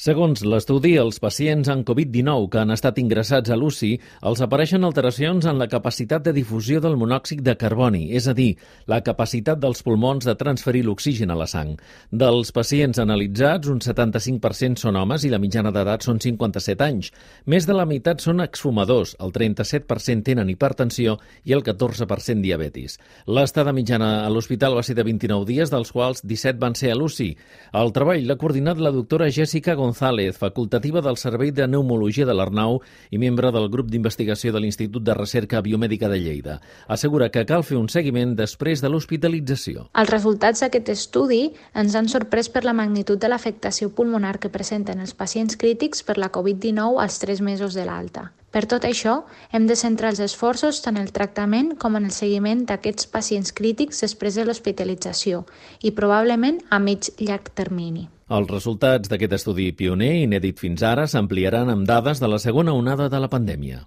Segons l'estudi, els pacients amb Covid-19 que han estat ingressats a l'UCI els apareixen alteracions en la capacitat de difusió del monòxid de carboni, és a dir, la capacitat dels pulmons de transferir l'oxigen a la sang. Dels pacients analitzats, un 75% són homes i la mitjana d'edat són 57 anys. Més de la meitat són exfumadors, el 37% tenen hipertensió i el 14% diabetis. L'estada mitjana a l'hospital va ser de 29 dies, dels quals 17 van ser a l'UCI. El treball l'ha coordinat la doctora Jessica González, facultativa del Servei de Pneumologia de l'Arnau i membre del grup d'investigació de l'Institut de Recerca Biomèdica de Lleida. Assegura que cal fer un seguiment després de l'hospitalització. Els resultats d'aquest estudi ens han sorprès per la magnitud de l'afectació pulmonar que presenten els pacients crítics per la Covid-19 als 3 mesos de l'alta. Per tot això, hem de centrar els esforços tant en el tractament com en el seguiment d'aquests pacients crítics després de l'hospitalització i probablement a mig-llarg termini. Els resultats d'aquest estudi pioner, inèdit fins ara, s'ampliaran amb dades de la segona onada de la pandèmia.